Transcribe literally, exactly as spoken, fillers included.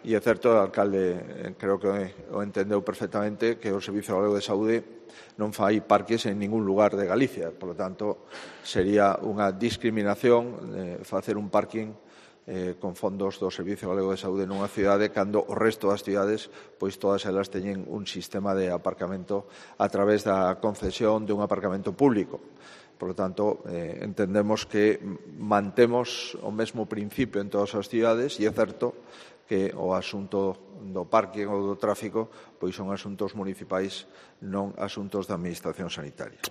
E é certo, o alcalde creo que o entendeu perfectamente, que o Servicio Galego de Saúde non fai parques en ningún lugar de Galicia. Por lo tanto, sería unha discriminación eh, facer un parking eh, con fondos do Servicio Galego de Saúde nunha cidade cando o resto das cidades, pois todas elas teñen un sistema de aparcamento a través da concesión de un aparcamento público. Por lo tanto, eh, entendemos que mantemos o mesmo principio en todas as cidades e é certo que o asunto do parque ou do tráfico pois son asuntos municipais, non asuntos da Administración Sanitaria.